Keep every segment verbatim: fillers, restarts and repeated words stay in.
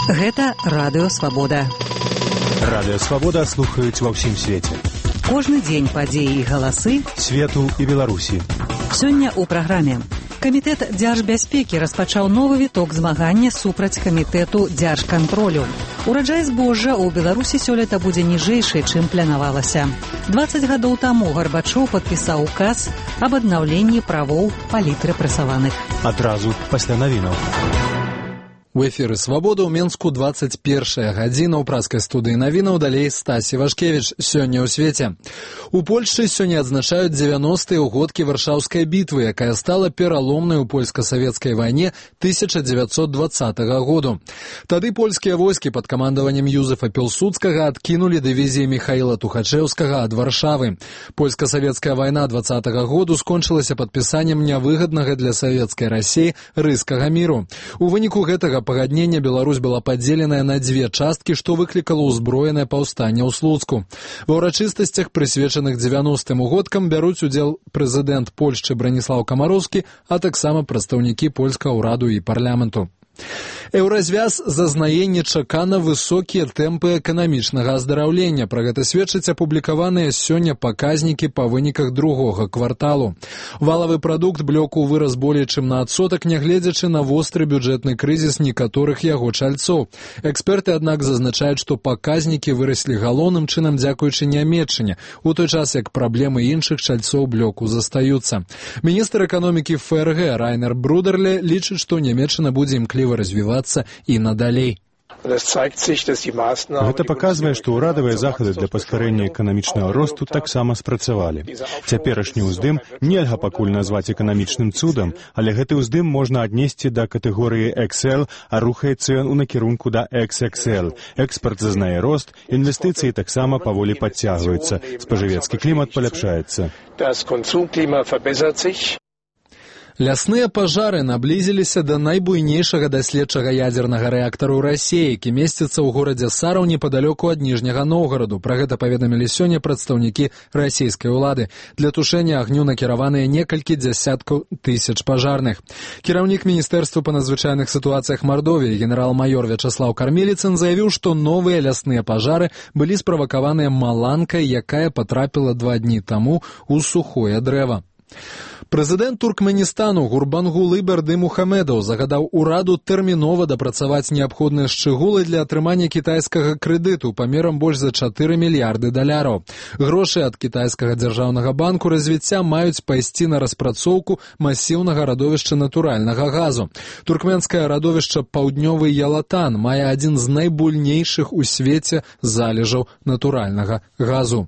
Гэта Радыё Свабода. Радыё Свабода слухаюць ва ўсім свеце. Кожны дзень падзеі і галасы свету і Беларусі. Сёння ў праграме. Камітэт дзяржбяспекі распачаў новы віток змагання супраць камітэту дзяржкантролю. Ураджай збожжа ў Беларусі сёлета будзе ніжэйшы, чым планавалася. дваццаць гадоў таму Гарбачоў падпісаў указ аб аднаўленні правоў палітрэпрэсаваных. Адразу пасля навінаў. У эфіры «Свабода» ў Менску двадцать первая гадзіна. У праскай студыі навінаў далей Стасі Вашкевіч. Сёння ў свеце. У Польшчы сёння адзначаюць дзевяностыя ўгодкі Варшаўскай бітвы, якая стала пераломнай у польска-савецкай вайне тысяча дзевяцьсот двадцатага году. Тады польскія войскі пад камандаваннем Юзефа Пілсудскага адкінулі дывізіі Міхаіла Тухачэўскага ад Варшавы. Польска-савецкая вайна двадцатага году скончылася падпісаннем нявыгаднага для савецкай Расіі рыскага міру. У выніку гэтага пагаднення Беларусь была падзеленая на дзве часткі, што выклікала ўзброенае паўстанне ў Слуцку. Ва ўрачыстасцях, прысвечаных дзевяностым угодкам, бяруць удзел прэзідэнт Польшчы Браніслаў Камароўскі, а таксама прадстаўнікі польскага ўраду і парламенту. Еўразвяз зазнае нечакана высокія тэмпы эканамічнага аздараўлення. Пра гэта сведчаць апублікаваныя сёння паказнікі па выніках другога кварталу. Валавы прадукт блоку вырас болей чым на адсотак, нягледзячы на востры бюджэтны крызіс некаторых яго чальцоў. Эксперты, аднак, зазначаюць, што паказнікі выраслі галоўным чынам дзякуючы Нямецчыне, у той час як праблемы іншых чальцоў блоку застаюцца. Міністр эканомікі ФРГ Райнер Брудерле лічыць, што Нямецчына будзе імкліва развівацца і надалей. Гэта паказвае, што ўрадавыя захады для паскарэння эканамічнага росту таксама спрацавалі. Цяперашні ўздым нельга пакуль назваць эканамічным цудам, але гэты ўздым можна аднесці да катэгорыі ікс эл, а рухаецца ён у накірунку да ікс ікс эл. Экспарт зазнае рост, інвестыцыі таксама паволі падцягваюцца, спажывецкі клімат паляпшаецца. Лясныя пажары наблізіліся да найбуйнейшага даследчага ядзернага рэактару ў Расіі, які месціцца ў горадзе Сараў непадалёку ад Ніжняга Новгараду. Пра гэта паведамілі сёння прадстаўнікі расійскай улады. Для тушэння агню накіраваныя некалькі дзясяткаў тысяч пажарных. Кіраўнік Міністэрства па надзвычайных сітуацыях Мардовіі генерал-маёр Вячаслаў Кармеліцын заявіў, што новыя лясныя пажары былі справакаваныя маланкай, якая патрапіла два дні таму ў сухое дрэва. Прэзідэнт Туркменістану Гурбангулы Бердымухамедаў загадаў ураду тэрмінова дапрацаваць неабходныя шчыгулы для атрымання кітайскага крэдыту памерам больш за чатыры мільярды даляраў. Грошы ад кітайскага дзяржаўнага банку развіцця маюць пайсці на распрацоўку масіўнага радовішча натуральнага газу. Туркменскае радовішча «Паўднёвы Ялатан» мае адзін з найбуйнейшых у свеце залежаў натуральнага газу.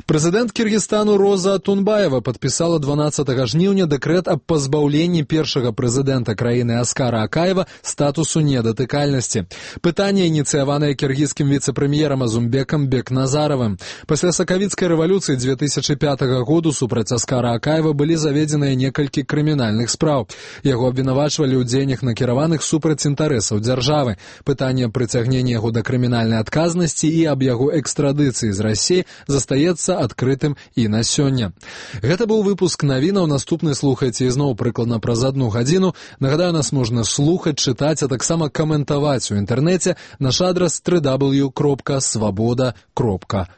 Прэзідэнт Кіргізстану Роза Атунбаева падпісала дванаццатага жніўня дэкрэт аб пазбаўленні першага прэзідэнта краіны Аскара Акаева статусу недатыкальнасці. Пытанне ініцыяванае кіргізскім віцэ-прэм'ерам Азумбекам Бекназаравым. Пасля сакавіцкай рэвалюцыі дзве тысячы пятага году супраць Аскара Акаева былі заведзеныя некалькі крымінальных спраў. Яго абвінавачвалі ў дзеяннях накіраваных супраць інтарэсаў дзяржавы. Пытанне прыцягнення яго да крымінальнай адказнасці і аб яго экстрадыцыі з Расіі застаецца адкрытым і на сёння. Гэта быў выпуск навінаў. Наступны слухайце ізноў прыкладна праз адну гадзіну. Нагадаю, нас можна слухаць, чытаць, а таксама каментаваць у інтэрнэце. Наш адрас дабл ю дабл ю дабл ю кропка свабода кропка